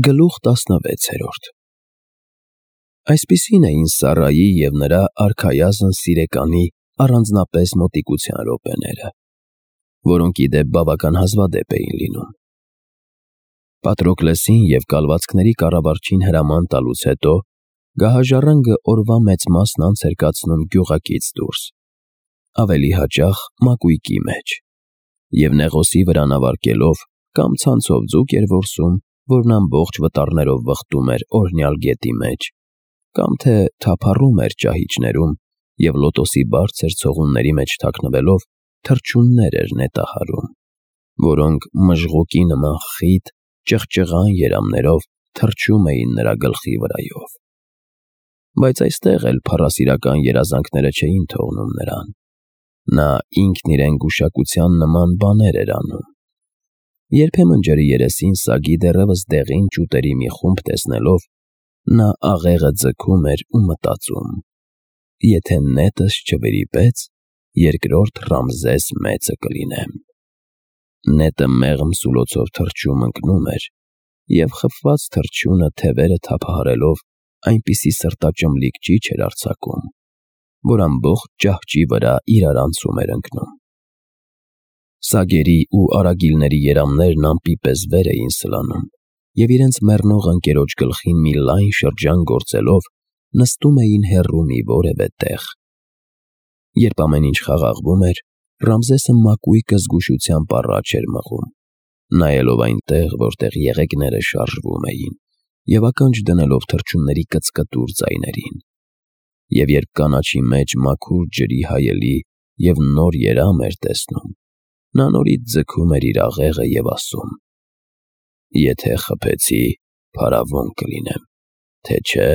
Գլուխ 16 Այսպիսին էին Սառայի և նրա արքայազն սիրեկանի առանձնապես մոտիկության րոպեները, որոնք ի դեպ բավական հազվադեպ էին լինում։ Պատրոկլեսին և կալվածքների կառավարչին հրաման տալուց հետո գահաժառանգը օրվա մեծ մասն անց էր կացնում գյուղակից դուրս, ավելի հաճախ մակույկի մեջ, և նեղոսի վրան ավարտելով կամ ցանցով ձուկ էր որսում, որն ամբողջ վտարներով վխտում էր օրհնյալ գետի մեջ, կամ թե թափառում էր ճահիճներում և լոտոսի բարձր ցողունների մեջ թաքնվելով թռչուններ էր նետահարում, որոնք մժղուկի նման խիտ, ճղճղան երամներով թռչում էին նրա գլխի վրայով։ Բայց այստեղ էլ փառասիրական երազանքները չէին թողնում նրան։ Նա ինքն իրեն գուշակության նման բաներ էր անում։ Երբեմն ջրի երեսին սագի դեռևս դեղին ճուտերի մի խումբ տեսնելով, նա աղեղը ձգում էր ու մտածում. «Եթե նետս չվրիպեց, երկրորդ Ռամզես մեծը կլինեմ»։ Նետը մեղմ սուլոցով թռչում ընկնում էր, և խփված թռչյունը թևերը թափահարելով այնպիսի սրտաճմլիկ ճիչ էր արձակում, որ ամբողջ ճահճի վրա իրար անցում էր ընկնում։ Սագերի ու արագիլների երամներն ամպի պես վեր էին սլանում, և իրենց մեռնող ընկերոջ գլխին մի լայն շրջան գործելով նստում էին հեռու մի որևէ տեղ։ Երբ ամեն ինչ խաղաղվում էր, Ռամզեսը մակույկը զգուշությամբ առաջ էր մղում, նայելով այնտեղ, որտեղ եղեգները շարժվում էին, և ականջ դնելով թռչունների կծկտուր ձայներին։ Եվ երբ կանաչի մեջ մաքուր ջրի հայելի և նոր երամ էր տեսնում, նա նորից ձգում էր իր աղեղը և ասում. «Եթե խփեցի, փարավոն կլինեմ, թե չէ»։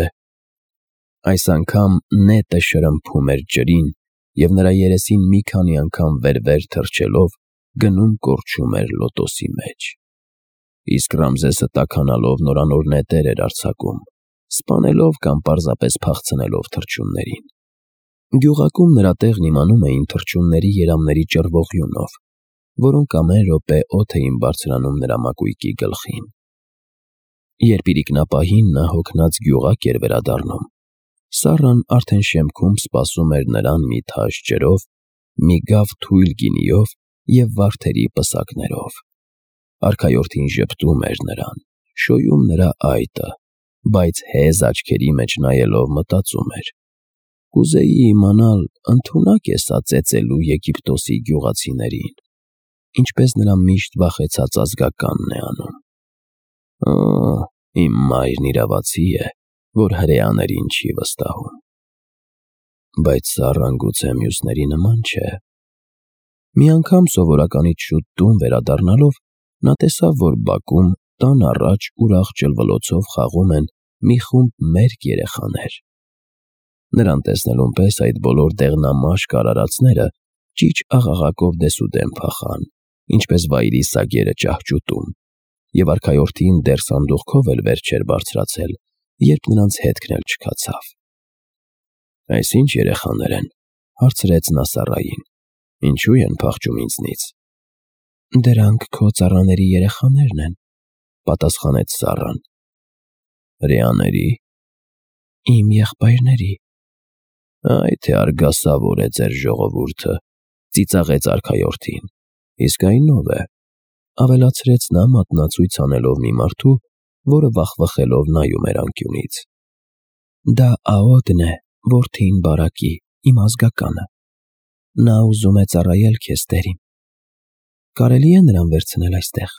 Այս անգամ նետը շրմփում էր ջրին և նրա երեսին մի քանի անգամ վեր-վեր թռչելով գնում կորչում էր լոտոսի մեջ։ Իսկ Ռամզեսը տաքանալով նորանոր նետեր էր արձակում, սպանելով կամ պարզապես փախցնելով թռչուններին։ Գյուղակում նրա տեղն իմանում էին թռչունների երամների ճռվողյունով, որոնք ամեն րոպե օդ էին բարձրանում նրա մակույկի գլխին։ Երբ իրիկնապահին նա հոգնած գյուղակ էր վերադառնում, Սառան արդեն շեմքում սպասում էր նրան մի թաշ ջրով, մի գավ թույլ գինիով և վարդերի պսակներով։ Արքայորդին ժպտում էր նրան, շոյում նրա այտը, բայց հեզ աչքերի մեջ նայելով մտածում էր. «Կուզեի իմանալ, ընդունա՞կ է սա ծեծելու Եգիպտոսի գյուղացիներին, ինչպես նրա միշտ վախեցած ազգականն է անում։ Իմ մայրն իրավացի է, որ հրեաներին չի վստահում»։ Բայց Սառան գուցե մյուսների նման չէ։ Մի անգամ սովորականից շուտ տուն վերադառնալով, նա տեսավ, որ բակում տան առաջ ուրախ ջլվլոցով խաղում են մի խումբ մերկ երեխաներ։ Նրան տեսնելուն պես այդ բոլոր դեղնամաշկ արարածները ճիչ աղաղակով դեսուդեն փախան, ինչպես վայրի սագերը ճահճուտում, և արքայորդին դեռ սանդուղքով էլ վեր չէր բարձրացել, երբ նրանց հետքն էլ չքացավ։ «Այս ի՞նչ երեխաներ են», հարցրեց նա Սառային, «ինչու են փախչում ինձնից»։ «Դրանք քո ծառաների երեխաներն են», պատասխանեց Սառան։ «Հրեաների»։ «Իմ եղբայրների»։ «Այ թե արգասավոր է ձեր ժողովուրդը», ծիծաղեց արքայորդին։ «Իսկ այն ո՞վ է», ավելացրեց նա մատնացույց անելով մի մարդու, որը վախվխելով նայում էր անկյունից։ «Դա Աոդն է, որդին Բարակի, իմ ազգականը։ Նա ուզում է ծառայել քեզ, տերին։ Կարելի՞ է նրան վերցնել այստեղ»։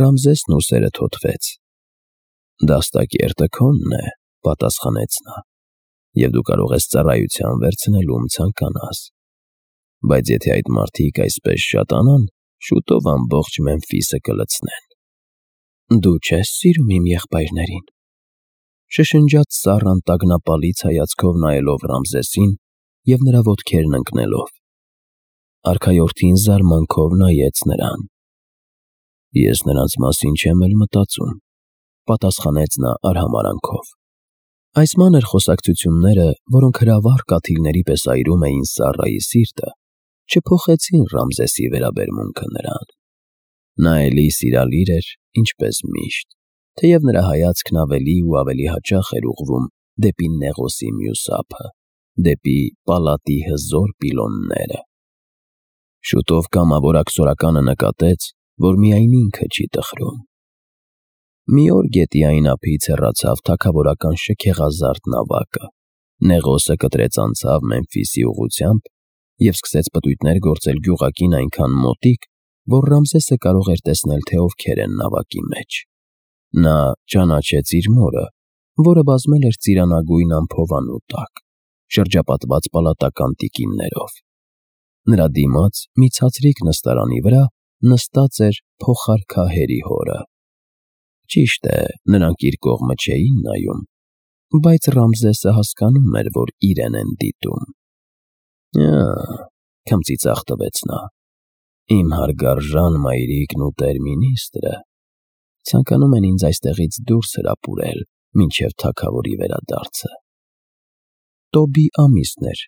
Ռամզեսն ուսերը թոթվեց։ «Դաստակերտը քոնն է», պատասխանեց նա, «և դու կարող ես ծառայության վերցնել ում ցանկանաս։ Բայց եթե այդ մարդիկ այսպես շատանան, շուտով ամբողջ Մեմֆիսը կլցնեն»։ «Դու չե՞ս սիրում իմ եղբայրներին», շշնջաց Սառան տագնապալից հայացքով նայելով Ռամզեսին և նրա ոտքերն ընկնելով։ Արքայորդին զարմանքով նայեց նրան։ «Ես նրանց մասին չեմ էլ մտածում», պատասխանեց նա արհամարհանքով։ Այս մանր խոսակցությունները, որոնք հրավառ կաթիլների պես այրում էին Սառայի սիրտը, չփոխեցին Ռամզեսի վերաբերմունքը նրան։ Նա էլի սիրալիր էր, ինչպես միշտ, թեև նրա հայացքն ավելի ու ավելի հաճախ էր ուղղվում դեպի Նեղոսի մյուս ափը, դեպի պալատի հզոր պիլոնները։ Շուտով կամավոր աքսորականը նկատեց, որ միայն ինքը չի տխրում։ Մի օր գետի այն ափից հեռացավ թագավորական շքեղազարդ նավակը։ Նեղոսը կտրեց անցավ Մեմֆիսի ուղղությամբ և սկսեց պտույտներ գործել գյուղակին այնքան մոտիկ, որ Ռամզեսը կարող էր տեսնել, թե ովքեր են նավակի մեջ։ Նա ճանաչեց իր մորը, որը բազմել էր ծիրանագույն ամփովանու տակ, շրջապատված պալատական տիկիններով։ Նրա դիմաց մի ցածրիկ նստարանի վրա նստած էր փոխարքահերի հորը։ Ճիշտ է, նրանք իր կողմը չէին նայում, բայց Ռամզեսը հասկանում էր, որ իրեն են դիտում։ Քմծիծաղ տվեց նա։ Իմ հարգարժան մայրիկն ու տեր-մինիստրը ցանկանում են ինձ այստեղից դուրս հրապուրել մինչև թագավորի վերադարձը։ Տոբի ամիսն էր,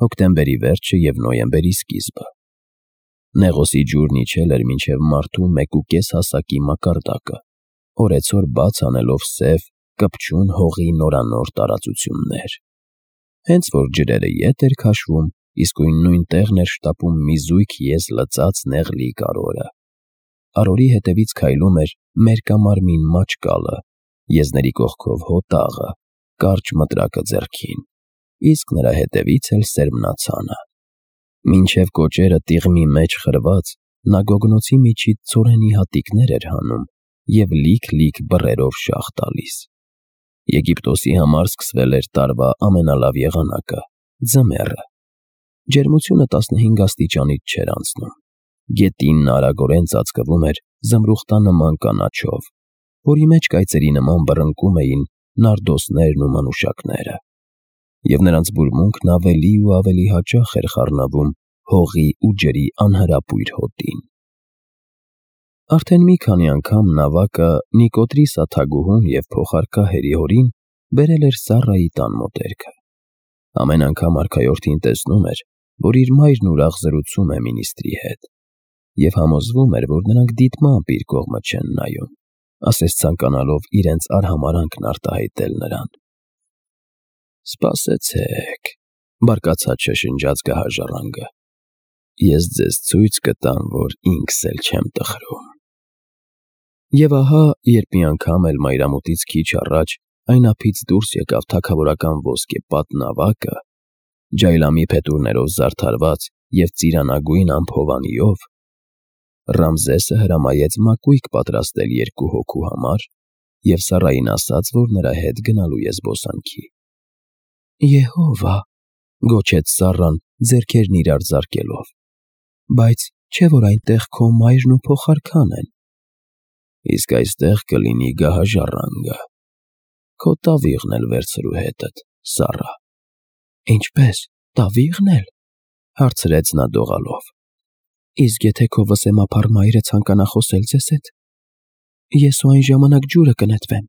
հոկտեմբերի վերջը և նոյեմբերի սկիզբը։ Նեղոսի ջուրն իջել էր մինչև մարդու 1.5 հասակի մակարդակը, օրեցօր բաց անելով սև, կպչուն հողի նորանոր տարածություններ։ Հենց որ ջրերը ետ էր քաշվում, իսկույն նույն տեղն էր շտապում մի զույգ եզ լծած նեղլի կարորը։ Արորի հետևից քայլում էր մերկամարմին մաճկալը, եզների կողքով հոտաղը, կարճ մտրակը ձեռքին, իսկ նրա հետևից էլ սերմնացանը։ Մինչև կոճերը տիղմի մեջ խրված, նա գոգնոցի միջից ցորենի հատիկներ էր հանում և լիք-լիք բռերով շաղ տալիս։ Եգիպտոսի համար սկսվել էր տարվա ամենալավ եղանակը՝ ձմեռը։ Ջերմությունը 15 աստիճանից չէր անցնում։ Գետինն արագորեն ծածկվում էր զմրուխտանման կանաչով, որի մեջ կայծերի նման բռնկում էին նարդոսներն ու մանուշակները, և նրանց բուրմունքն ավելի ու ավելի հաճախ էր խառնվում հողի ու ջրի անհրապույր հոտին։ Արդեն մի քանի անգամ նավակը Նիկոտրիսա թագուհուն և փոխարքահերի հորին բերել էր Սառայի տան մոտերքը։ Ամեն անգամ արքայորդին տեսնում էր, որ իր մայրն ուրախ զրուցում է մինիստրի հետ, և համոզվում էր, որ նրանք դիտմամբ իր կողմը չեն նայում, ասես ցանկանալով իրենց արհամարհանքն արտահայտել նրան։ «Սպասեցեք», բարկացած շշնջաց գահաժառանգը, «ես ձեզ ցույց կտամ, որ ինքս էլ չեմ տխրում»։ Եվ ահա, երբ մի անգամ էլ մայրամուտից քիչ առաջ այն ափից դուրս եկավ թագավորական ոսկեպատ նավակը, ջայլամի փետուրներով զարդարված և ծիրանագույն ամփովանիով, Ռամզեսը հրամայեց մակույկ պատրաստել 2 հոգու համար և Սառային ասաց, որ նրա հետ գնալու է զբոսանքի։ «Եհովա», գոչեց Սառան, ձեռքերն իրար զարկելով, «բայց չէ՞ որ այնտեղ քո մայրն ու փոխարքան են»։ «Իսկ այստեղ կլինի գահաժառանգը, քո տավիղն էլ վերցրու հետդ, Սառա»։ «Ինչպե՞ս, տավի՞ղն էլ», հարցրեց նա դողալով։ «Իսկ եթե քո վսեմափառ մայրը ցանկանա խոսել ձեզ հետ, ես ու այն ժամանակ ջուրը կնետվեմ»։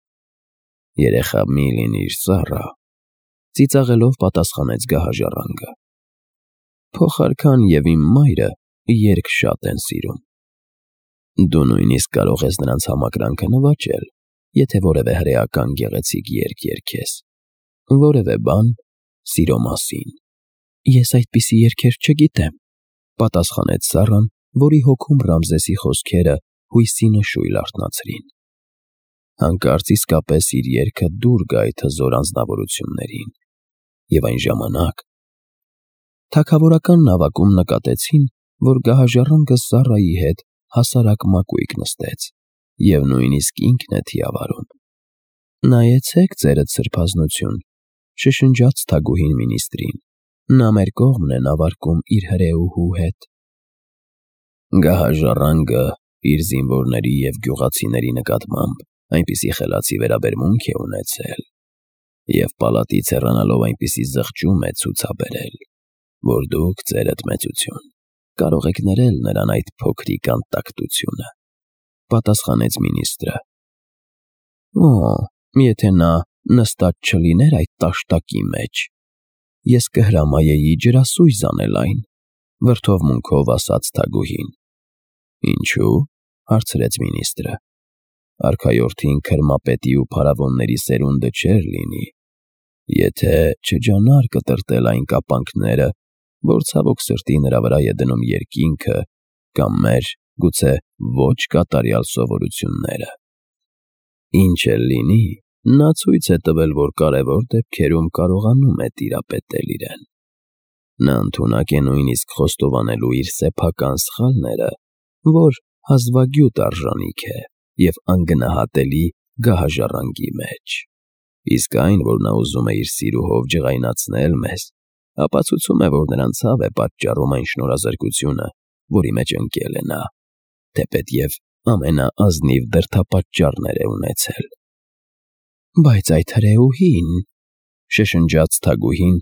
«Երեխա մի լինիր, Սառա», ծիծաղելով պատասխանեց գահաժառանգը։ «Փոխարքան և իմ մայրը երգ շատ են սիրում։ Դու նույնիսկ կարող ես նրանց համակրանքը նվաճել, եթե որևէ հրեական գեղեցիկ երգ երգես, որևէ բան սիրո մասին»։ «Ես այդպիսի երգեր չգիտեմ», պատասխանեց Սառան, որի հոգում Ռամզեսի խոսքերը հույսի նշույլ արթնացրին։ Հանկարծ իսկապես իր երգը դուր գա այդ հզոր անձնավորություններին, և այն ժամանակ թագավորական նավակում նկատեցին, որ գահաժառանգը Սառայի հետ հասարակ մակույկ նստեց, և նույնիսկ ինքն է թիավարում։ «Նայեցեք ձերդ սրբազնություն», շշնջաց թագուհին մինիստրին, «նա մեր կողմն է նավարկում իր հրեուհու հետ»։ Գահաժառանգը իր զինվորների և գյուղացիների նկատմամբ այնպիսի խելացի վերաբերմունք է ունեցել և պալատից հեռանալով այնպիսի զղջում է ցուցաբերել, որ դուք, ձերդ մեծություն, կարող եք ներել նրան այդ փոքրիկ անտակտությունը», պատասխանեց մինիստրը։ «Օ, եթե նա նստած չլիներ այդ տաշտակի մեջ, ես կհրամայեի ջրասույզ անել այն», վրդովմունքով ասաց թագուհին։ «Ինչու՞, հարցրեց մինիստրը։ արքայորդին քրմապետի ու փարավոնների սերունդը չէր լինի, եթե չջանար կտրտել այն կապանքները, որ ցավոք սրտի նրա վրա է դնում երկինքը կամ մեր, գուցե ոչ կատարյալ սովորությունները։ Ինչ էլ լինի, նա ցույց է տվել, որ կարևոր դեպքերում կարողանում է տիրապետել իրեն։ Նա ընդունակ է նույնիսկ խոստովանելու իր սեփական սխալները, որ հազվագյուտ արժանիք է և անգնահատելի գահաժառանգի մեջ։ Իսկ այն, որ նա ուզում է իր սիրուհով ջղայնացնել մեզ, ապացուցում է, որ նրան ցավ է պատճառում այն շնորհազրկությունը, որի մեջ ընկել է նա, թեպետև ամենաազնիվ դրդապատճառներ է ունեցել։ «Բայց այդ հրեուհին…» շշնջաց թագուհին,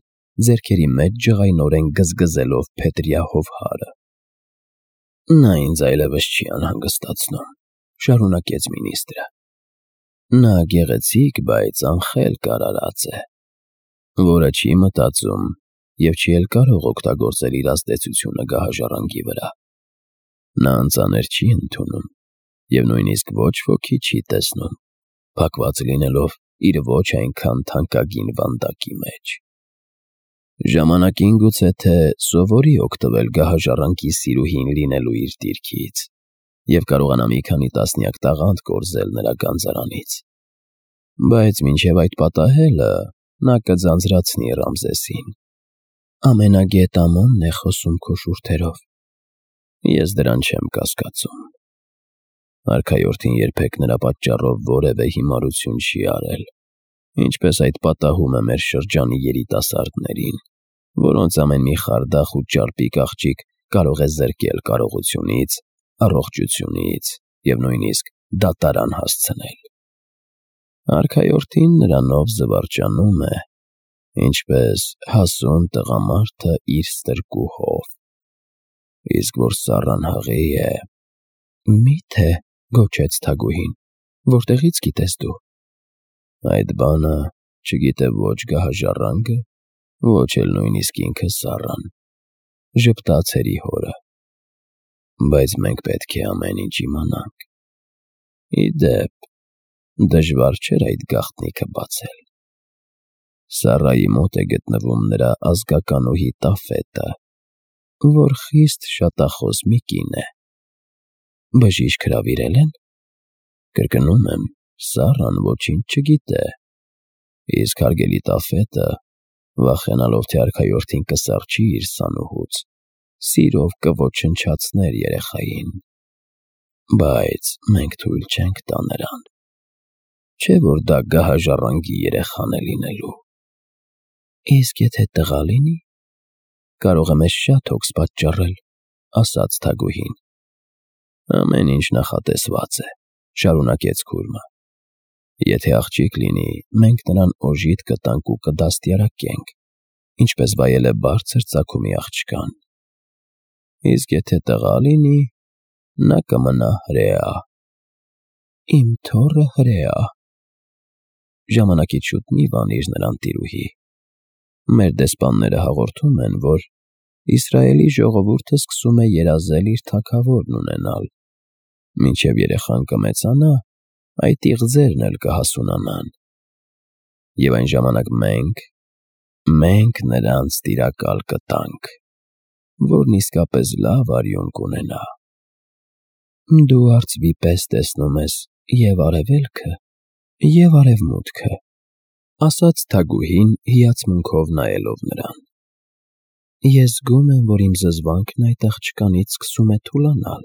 ձեռքերի մեջ ջղայնորեն գզգզելով փետրյա հովհարը։ «Նա ինձ այլևս չի անհանգստացնում», շարունակեց մինիստրը։ «Նա գեղեցիկ, բայց անխելք արարած է, որը չի մտածում և չի էլ կարող օգտագործել իր ազդեցությունը գահաժառանգի վրա։ Նա անծանր չի ընդունում և նույնիսկ ոչ ոքի չի տեսնում, փակված լինելով իր ոչ այնքան թանկագին վանդակի մեջ։ Ժամանակին գուցե թե սովորի օգտվել գահաժառանգի սիրուհին լինելու իր դիրքից և կարողանա մի քանի տասնյակ տաղանդ կորզել նրա գանձարանից, բայց մինչև այդ պատահելը նա կձանձրացնի Ռամզեսին։ Ամենագետ Ամոնն է խոսում քո շուրթերով։ Ես դրան չեմ կասկածում։ Արքայորդին երբեք նրա պատճառով որևէ հիմարություն չի արել, ինչպես այդ պատահում է մեր շրջանի երիտասարդներին, որոնց ամեն մի խարդախ ու ճարպիկ աղջիկ կարող է զրկել կարողությունից, առողջությունից և նույնիսկ դատարան հասցնել։ Արքայորդին նրանով զվարճանում է, ինչպես հասուն տղամարդը իր ստրկուհով։ Իսկ որ Սառան հղի է… Մի՞թե, գոչեց թագուհին, որտեղից գիտես դու։ Այդ բանը չգիտե ոչ գահաժառանգը, ոչ էլ նույնիսկ ինքը Սառան, ժպտաց հորը։ Բայց մենք պետք է ամեն ինչ իմանանք։ Ի դեպ, դժվար չէր այդ գաղտնիքը բացել։ Սառայի մոտ է գտնվում նրա ազգականուհի Տաֆետը, որ խիստ շատախոս մի կին է։ Բժիշկ հրավիրել են։ Կրկնում եմ, Սառան ոչինչ չգիտե, իսկ հարգելի Տաֆետը, վախենալով, թե արքայորդին կսառչի իր սանուհուց, սիրով կոչնչացներ երեխային։ Բայց մենք թույլ չենք տա նրան։ Չէ՞ որ դա գահաժառանգի երեխան է լինելու։ Իսկ եթե տղա լինի, կարող է մեզ շատ հոգս պատճառել, ասաց թագուհին։ Ամեն ինչ նախատեսված է, շարունակեց քուրմը։ Եթե աղջիկ լինի, մենք նրան օժիտ կտանք ու կդաստիարակենք, ինչպես վայել է բարձր ծագումի աղջկան։ Իսկ եթե տղա լինի, նա կմնա հրեա։ Իմ թոռը հրեա։ Ժամանակից շուտ մի վանիր նրան, տիրուհի։ Մեր դեսպանները հաղորդում են, որ Իսրայելի ժողովուրդը սկսում է երազել իր թագավորն ունենալ։ Մինչև երեխան կմեծանա, այդ իղձերն էլ կհասունանան։ Եվ այն ժամանակ մենք նրանց տիրակալ կտանք, որն իսկապես լավ արյուն կունենա։ Դու արծվի պես տեսնում ես և արևելքը, և արևմուտքը, ասաց թագուհին հիացմունքով նայելով նրան։ Ես զգում եմ, որ իմ զզվանքն այդ աղջկանից սկսում է թուլանալ։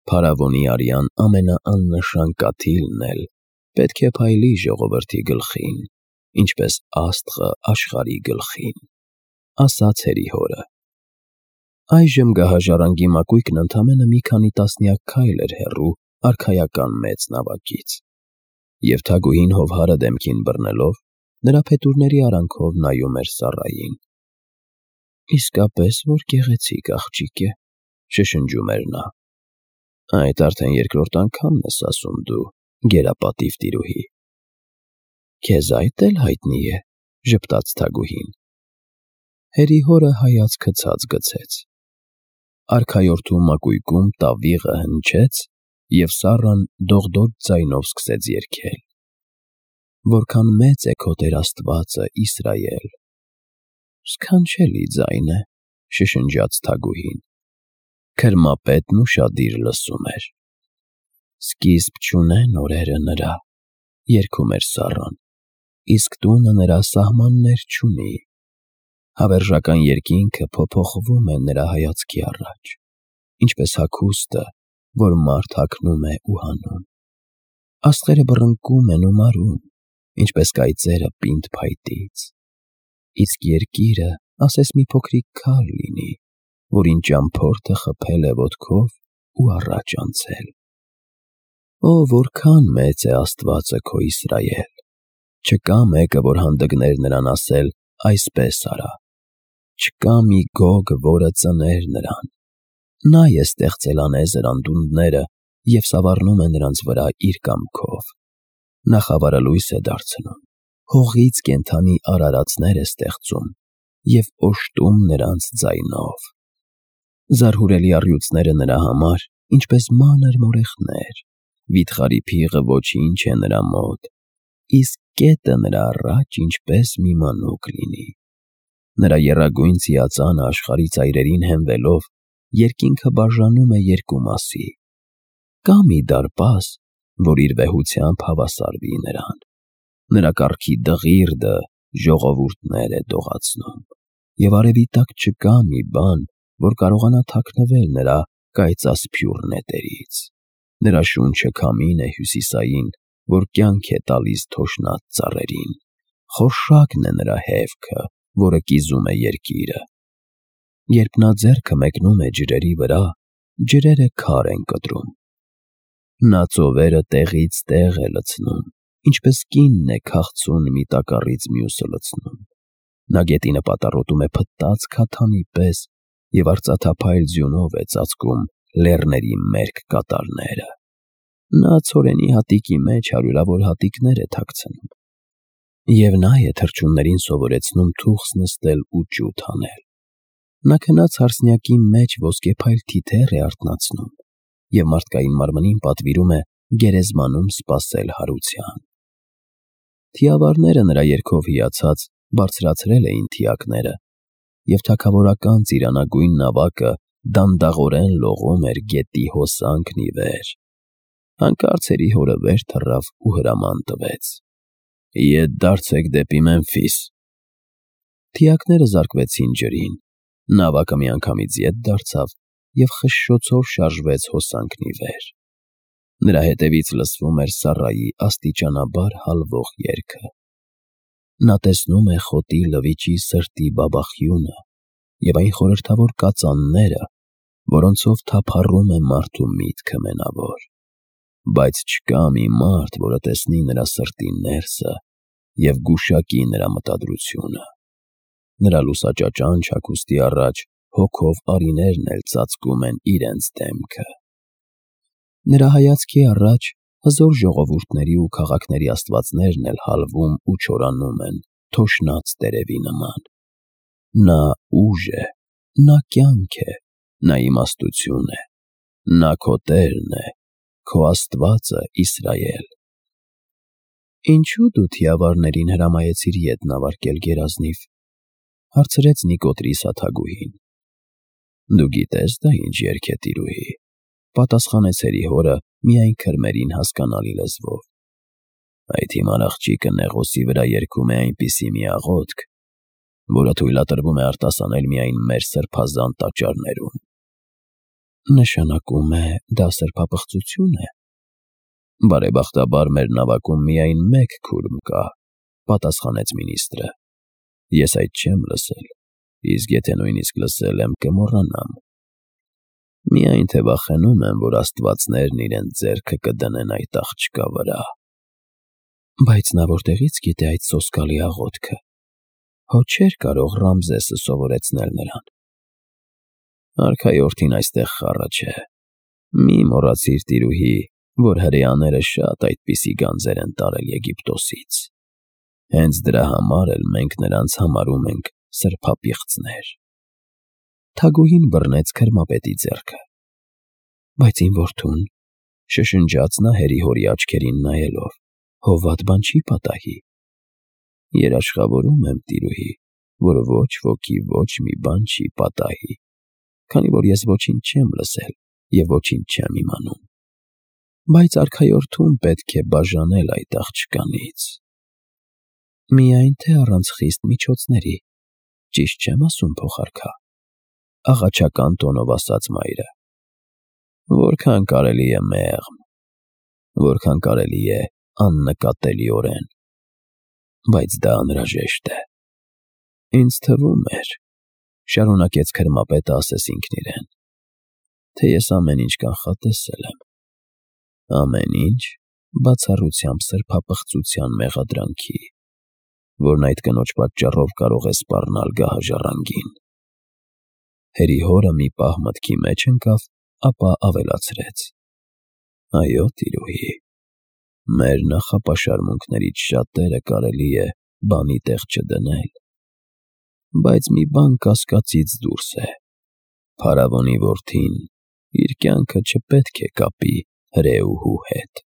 Փարավոնի արյան ամենաաննշան կաթիլն էլ պետք է փայլի ժողովրդի գլխին, ինչպես աստղը աշխարհի գլխին, ասաց հորը։ Այժմ գահաժառանգի մակույկն ընդամենը մի քանի տասնյակ քայլ էր հեռու արքայական մեծ նավակից, և թագուհին հովհարը դեմքին բռնելով, նրա փետուրների արանքով նայում էր Սառային։ Իսկապես որ գեղեցիկ աղջիկ է, շշնջում էր նա։ Այդ արդեն երկրորդ անգամն ես ասում դու, գերապատիվ տիրուհի։ Քեզ այդ էլ հայտնի է, ժպտաց թագուհին։ Հորը հայացքը ցած գցեց։ Արքայորդու մակույկում տավիղը հնչեց և Սառան դողդոջ ձայնով սկսեց երգել. «Որքան մեծ է քո Տեր Աստվածը, Իսրայել»։ «Սքանչելի ձայն է», շշնջաց թագուհին։ Քրմապետն ուշադիր լսում էր։ «Սկիզբ չունեն օրերը նրա», երգում էր Սառան, «իսկ տունը նրա սահմաններ չունի»։ Հավերժական երկինքը փոփոխվում է նրա հայացքի առաջ, ինչպես հագուստը, որ մարդ հագնում է ու հանում։ Աստղերը բռնկում են ու մարում, ինչպես կայծերը պինդ փայտից։ Իսկ երկիրը ասես մի փոքրիկ քար լինի, որին ճամփորդը խփել է ոտքով ու առաջ անցել։ Ո՜, որքան մեծ է Աստվածը քո Իսրայել։ Չկա մեկը, որ հանդգներ նրան ասել. այսպես արա։ Չկա մի Գոգ, որը ծներ նրան։ Նա է ստեղծել անեզր անդունդները և սավառնում է նրանց վրա իր կամքով։ Նա խավարը լույս է դարձնում, հողից կենդանի արարածներ է ստեղծում և օժտում նրանց ձայնով։ Զարհուրելի առյուծները նրա համար ինչպես մանր մորեխներ, վիթխարի փիղը ոչինչ է նրա մոտ, իսկ կետը նրա առաջ ինչպես մի մանուկ լինի։ Նրա եռագույն ծիածանը աշխարհի ծայրերին հենվելով, երկինքը բաժանում է երկու մասի։ Կա մի դարպաս, որ իր վեհությամբ հավասարվի նրան։ Նրա կառքի դղիրդը ժողովուրդներ է դողացնում, և արևի տակ չկա մի բան, որ կարողանա թաքնվել նրա կայծասփյուռ նետերից։ Նրա շունչը քամին է հյուսիսային, որ կյանք է տալիս թոշնած ծառերին։ Խորշակն է նրա հեվքը, որը կիզում է երկիրը։ Երբ նա ձեռքը մեկնում է ջրերի վրա, ջրերը քար են կտրում։ Նա ծովերը տեղից տեղ է լցնում, ինչպես կինն է քաղցուն մի տակառից մյուսը լցնում։ Նա գետինը պատառոտում է փտած քաթանի պես և արծաթափայլ ձյունով է ծածկում լեռների մերկ կատարները։ Նա ցորենի հատիկի մեջ հարյուրավոր հատիկներ է թաքցնում։ Եվ նա է թռչուններին սովորեցնում թուխս նստել ու ջութ անել։ Նա քնած հարսնյակի մեջ ոսկեփայլ թիթեռ է արթնացնում և մարդկային մարմնին պատվիրում է գերեզմանում սպասել հարության։ Թիավարները նրա երգով հիացած բարձրացրել էին թիակները, և թագավորական ծիրանագույն նավակը դանդաղորեն լողում էր գետի հոսանքն ի վեր։ Հանկարծ հերի հորը վեր թռավ ու հրաման տվեց. «Ետ դարձեք դեպի Մեմֆիս»։ Թիակները զարկվեցին ջրին, նավակը միանգամից ետ դարձավ և խշշոցով շարժվեց հոսանքն ի վեր։ Նրա հետևից լսվում էր Սառայի աստիճանաբար հալվող երգը։ Նա տեսնում է խոտի լվիճի սրտի բաբախյունը և այն խորհրդավոր կածանները, որոնցով թափառում է մարդու միտքը մենավոր։ Բայց չկա մի մարդ, որը տեսնի նրա սրտի ներսը և գուշակի նրա մտադրությունը։ Նրա լուսաճաճանչ հագուստի առաջ հոգով արիներն էլ ծածկում են իրենց դեմքը։ Նրա հայացքի առաջ հզոր ժողովուրդների ու քաղաքների աստվածներն էլ հալվում ու չորանում են թոշնած տերևի նման։ Նա ուժ է, նա կյանք է, նա իմաստություն է, նա քո Տերն է, քո Աստվածը Իսրայել։ Ինչո՞ւ դու թիավարներին հրամայեցիր ետ նավարկել գերազնիվ, հարցրեց Նիկոդրիսը թագուհին։ Դու գիտես դա ինչ երգ է, տիրուհի, պատասխանեց հերի հորը միայն քրմերին հասկանալի լեզվով։ Այդ հիմար աղջիկը Նեղոսի վրա երգում է այնպիսի մի աղոթք, որը թույլատրվում է արտասանել միայն մեր սրբազան տաճարներում։ Նշանակում է դա սրբապղծություն է։ Բարեբախտաբար մեր նավակում միայն մեկ քուրմ կա, պատասխանեց մինիստրը։ Ես այդ չեմ լսել, իսկ եթե նույնիսկ լսել եմ, կմոռանամ։ Միայն թե վախենում եմ, որ աստվածներն իրենց ձեռքը կդնեն այդ աղջկա վրա։ Բայց նա որտեղից գիտե այդ սոսկալի աղոթքը։ Հո չէր կարող Ռամզեսը սովորեցնել նրան։ Արքայորդին այստեղ խառը չէ։ Մի մոռացիր, տիրուհի, որ հրեաները շատ այդպիսի գանձեր են տարել Եգիպտոսից։ Հենց դրա համար էլ մենք նրանց համարում ենք սրբապիղծներ։ Թագուհին բռնեց քրմապետի ձեռքը։ Բայց իմ որդուն, Շշնջաց նա հերի-հորի աչքերին նայելով, հովատ բան չի պատահի։ Երաշխավորում եմ, տիրուհի, որ ոչ ոքի ոչ մի բան չի պատահի, քանի որ ես ոչինչ չեմ լսել և ոչինչ չեմ իմանում, բայց արքայորդուն պետք է բաժանել այդ աղջկանից։ Միայն թե առանց խիստ միջոցների, ճիշտ չեմ ասում, փոխարքա, աղաչական տոնով ասաց մայրը։ Որքան կարելի է մեղմ, որքան կարելի է աննկատելիորեն, բայց դա անհրաժեշտ է։ Ինձ թվում էր, շարունակեց քրմապետը ասես ինքն իրեն, թե ես ամեն ինչ կանխատեսել եմ, ամեն ինչ բացառությամբ սրբապղծության մեղադրանքի, որն այդ կնոջ պատճառով կարող է սպառնալ գահաժառանգին։ Հերի-հորը մի պահ մտքի մեջ ընկավ, ապա ավելացրեց. Այո, տիրուհի, մեր նախապաշարմունքներից շատերը կարելի է բանի տեղ չդնել, բայց մի բան կասկածից դուրս է. փարավոնի որդին իր կյանքը չպետք է կապի հրեուհու հետ։